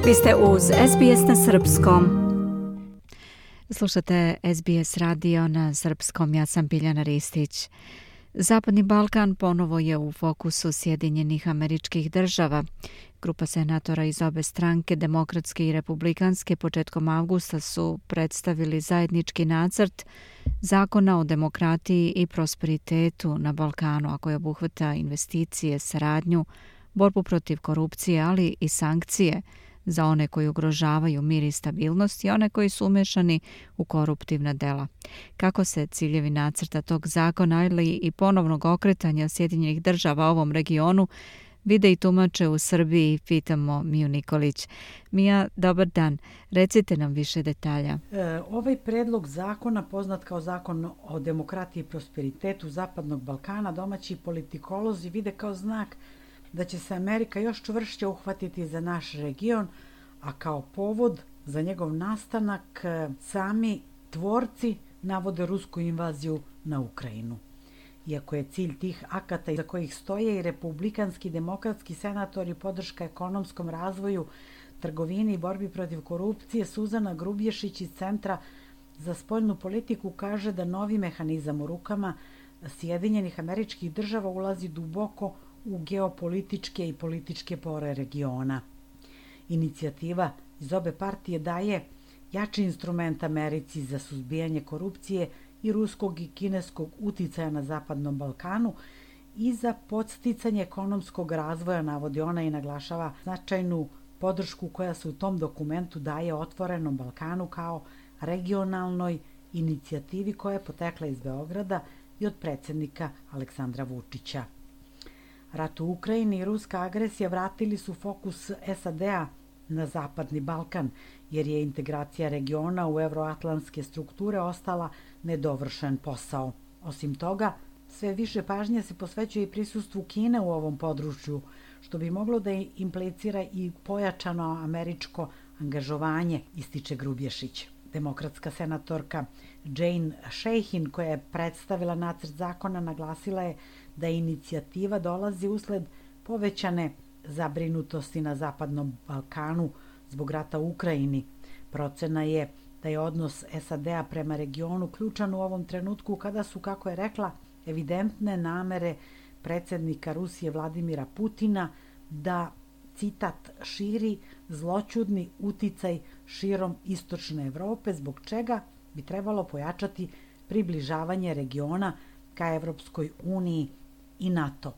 Vi ste uz SBS na srpskom. Slušate SBS radio na srpskom, ja sam Biljana Ristić. Zapadni Balkan ponovo je u fokusu Sjedinjenih Američkih Država. Grupa senatora iz obe stranke, demokratske i republikanske, početkom avgusta su predstavili zajednički nacrt zakona o demokratiji i prosperitetu na Balkanu, a koji obuhvata investicije, saradnju, borbu protiv korupcije, ali i sankcije za one koji ugrožavaju mir i stabilnost i one koji su umešani u koruptivna dela. Kako se ciljevi nacrta tog zakona ili i ponovnog okretanja Sjedinjenih Država ovom regionu vide i tumače u Srbiji, pitamo Miju Nikolić. Mija, dobar dan. Recite nam više detalja. Ovaj predlog zakona, poznat kao zakon o demokratiji i prosperitetu Zapadnog Balkana, domaći politikolozi vide kao znak da će se Amerika još čvršće uhvatiti za naš region, a kao povod za njegov nastanak sami tvorci navode rusku invaziju na Ukrajinu. Iako je cilj tih akata iza kojih stoje i republikanski demokratski senatori podrška ekonomskom razvoju, trgovini i borbi protiv korupcije, Suzana Grubješić iz Centra za spoljnu politiku kaže da novi mehanizam u rukama Sjedinjenih Američkih Država ulazi duboko u geopolitičke i političke pore regiona. Inicijativa iz obe partije daje jači instrument Americi za suzbijanje korupcije i ruskog i kineskog uticaja na Zapadnom Balkanu i za podsticanje ekonomskog razvoja, navodi ona i naglašava značajnu podršku koja se u tom dokumentu daje otvorenom Balkanu kao regionalnoj inicijativi koja je potekla iz Beograda i od predsjednika Aleksandra Vučića. Rat u Ukrajini i ruska agresija vratili su fokus SAD-a na Zapadni Balkan, jer je integracija regiona u evroatlantske strukture ostala nedovršen posao. Osim toga, sve više pažnje se posvećuje i prisustvu Kine u ovom području, što bi moglo da implicira i pojačano američko angažovanje, ističe Grubješić. Demokratska senatorka Jane Shaheen, koja je predstavila nacrt zakona, naglasila je da inicijativa dolazi usled povećane zabrinutosti na Zapadnom Balkanu zbog rata u Ukrajini. Procena je da je odnos SAD-a prema regionu ključan u ovom trenutku kada su, kako je rekla, evidentne namere predsjednika Rusije Vladimira Putina da, citat, širi zloćudni uticaj širom istočne Evrope, zbog čega bi trebalo pojačati približavanje regiona ka Evropskoj uniji i NATO.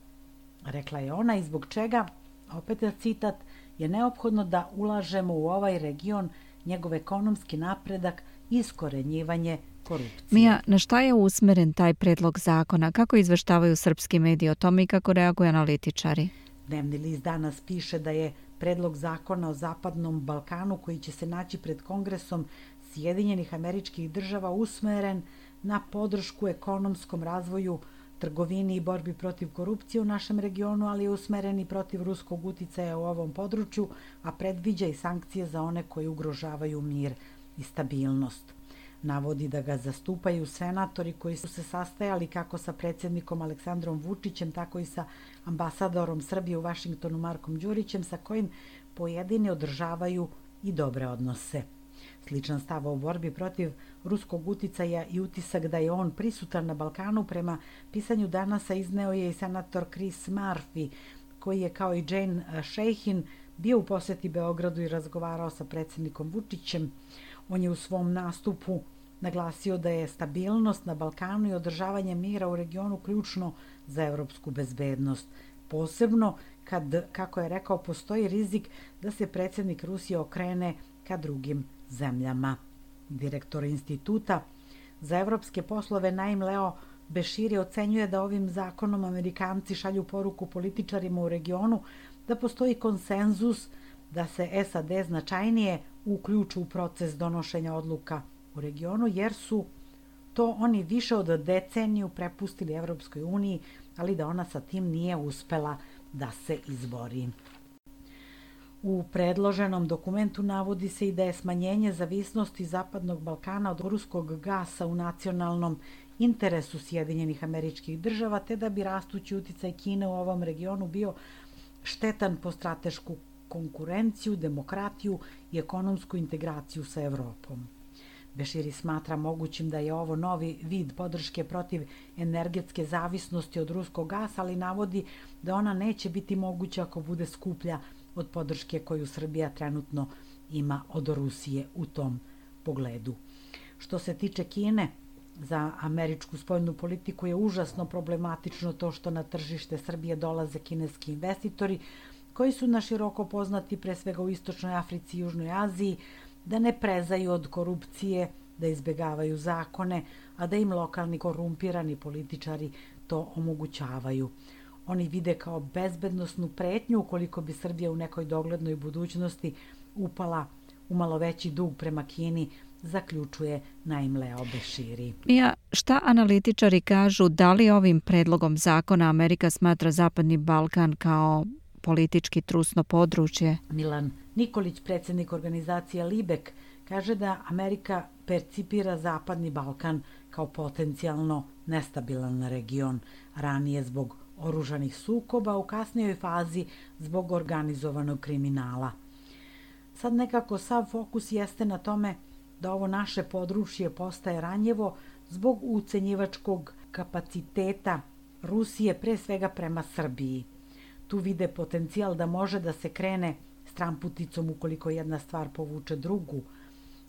Rekla je ona, i zbog čega, opet je citat, je neophodno da ulažemo u ovaj region, njegov ekonomski napredak i iskorenjivanje korupcije. Mija, na šta je usmeren taj predlog zakona? Kako izveštavaju srpski mediji o tome i kako reaguju analitičari? Dnevni list danas piše da je predlog zakona o Zapadnom Balkanu koji će se naći pred Kongresom Sjedinjenih Američkih Država usmeren na podršku ekonomskom razvoju, trgovini i borbi protiv korupcije u našem regionu, ali je usmeren i protiv ruskog uticaja u ovom području, a predviđa i sankcije za one koji ugrožavaju mir i stabilnost. Navodi da ga zastupaju senatori koji su se sastajali kako sa predsjednikom Aleksandrom Vučićem, tako i sa ambasadorom Srbije u Vašingtonu Markom Đurićem, sa kojim pojedini održavaju i dobre odnose. Sličan stav o borbi protiv ruskog uticaja i utisak da je on prisutan na Balkanu prema pisanju Danasa izneo je i senator Chris Murphy, koji je kao i Jane Shaheen bio u posjeti Beogradu i razgovarao sa predsjednikom Vučićem. On je u svom nastupu naglasio da je stabilnost na Balkanu i održavanje mira u regionu ključno za evropsku bezbednost. Posebno kad, kako je rekao, postoji rizik da se predsjednik Rusije okrene ka drugim zemljama. Direktor instituta za evropske poslove Naim Leo Beširi ocenjuje da ovim zakonom Amerikanci šalju poruku političarima u regionu da postoji konsenzus da se SAD značajnije uključu u proces donošenja odluka u regionu, jer su to oni više od deceniju prepustili Evropskoj uniji, ali da ona sa tim nije uspela da se izbori. U predloženom dokumentu navodi se i da je smanjenje zavisnosti Zapadnog Balkana od ruskog gasa u nacionalnom interesu Sjedinjenih Američkih Država, te da bi rastući uticaj Kine u ovom regionu bio štetan po stratešku konkurenciju, demokratiju i ekonomsku integraciju sa Evropom. Beširi smatra mogućim da je ovo novi vid podrške protiv energetske zavisnosti od ruskog gasa, ali navodi da ona neće biti moguća ako bude skuplja od podrške koju Srbija trenutno ima od Rusije u tom pogledu. Što se tiče Kine, za američku spoljnu politiku je užasno problematično to što na tržište Srbije dolaze kineski investitori koji su naširoko poznati pre svega u Istočnoj Africi i Južnoj Aziji, da ne prezaju od korupcije, da izbegavaju zakone, a da im lokalni korumpirani političari to omogućavaju. Oni vide kao bezbednosnu pretnju ukoliko bi Srbija u nekoj doglednoj budućnosti upala u malo veći dug prema Kini, zaključuje Naim Leo Beširi. Mija, šta analitičari kažu, da li ovim predlogom zakona Amerika smatra Zapadni Balkan kao politički trusno područje? Milan Nikolić, predsjednik organizacije Libek, kaže da Amerika percipira Zapadni Balkan kao potencijalno nestabilan region, ranije zbog oružanih sukoba, u kasnijoj fazi zbog organizovanog kriminala. Sad nekako sav fokus jeste na tome da ovo naše područje postaje ranjivo zbog ucenjivačkog kapaciteta Rusije, pre svega prema Srbiji. Tu vide potencijal da može da se krene stramputicom ukoliko jedna stvar povuče drugu.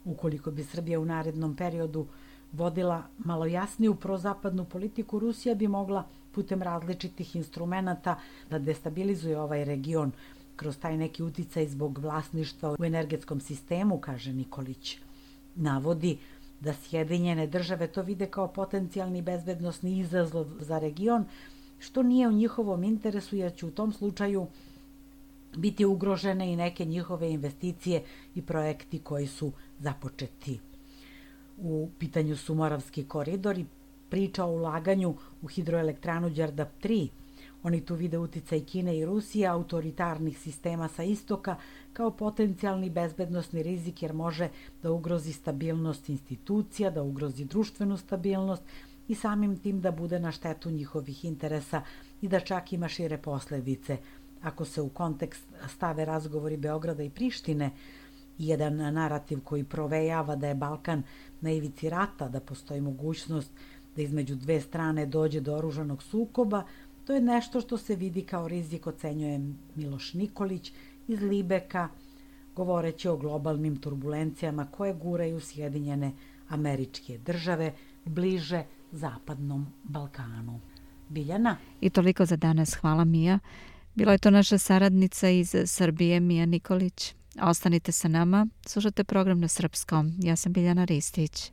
Ukoliko bi Srbija u narednom periodu vodila malo jasniju prozapadnu politiku, Rusija bi mogla putem različitih instrumenata da destabilizuje ovaj region kroz taj neki uticaj zbog vlasništva u energetskom sistemu, kaže Nikolić. Navodi da Sjedinjene države to vide kao potencijalni bezbednosni izazov za region, što nije u njihovom interesu, jer će u tom slučaju biti ugrožene i neke njihove investicije i projekti koji su započeti. U pitanju su Moravski koridor i priča o ulaganju u hidroelektranu Đerdap 3. Oni tu vide uticaj Kine i Rusije, autoritarnih sistema sa istoka, kao potencijalni bezbednosni rizik, jer može da ugrozi stabilnost institucija, da ugrozi društvenu stabilnost i samim tim da bude na štetu njihovih interesa i da čak ima šire posledice. Ako se u kontekst stave razgovori Beograda i Prištine, jedan narativ koji provejava da je Balkan na ivici rata, da postoji mogućnost da između dve strane dođe do oružanog sukoba, to je nešto što se vidi kao rizik, ocenjuje Miloš Nikolić iz Libeka, govoreći o globalnim turbulencijama koje guraju Sjedinjene Američke Države bliže Zapadnom Balkanu. Biljana? I toliko za danas. Hvala, Mija. Bila je to naša saradnica iz Srbije, Mija Nikolić. Ostanite sa nama, slušate program na srpskom. Ja sam Biljana Ristić.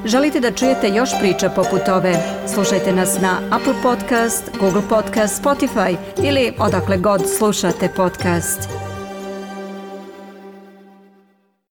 Želite da čujete još priča poput ove? Slušajte nas na Apple Podcast, Google Podcast, Spotify ili odakle god slušate podcast.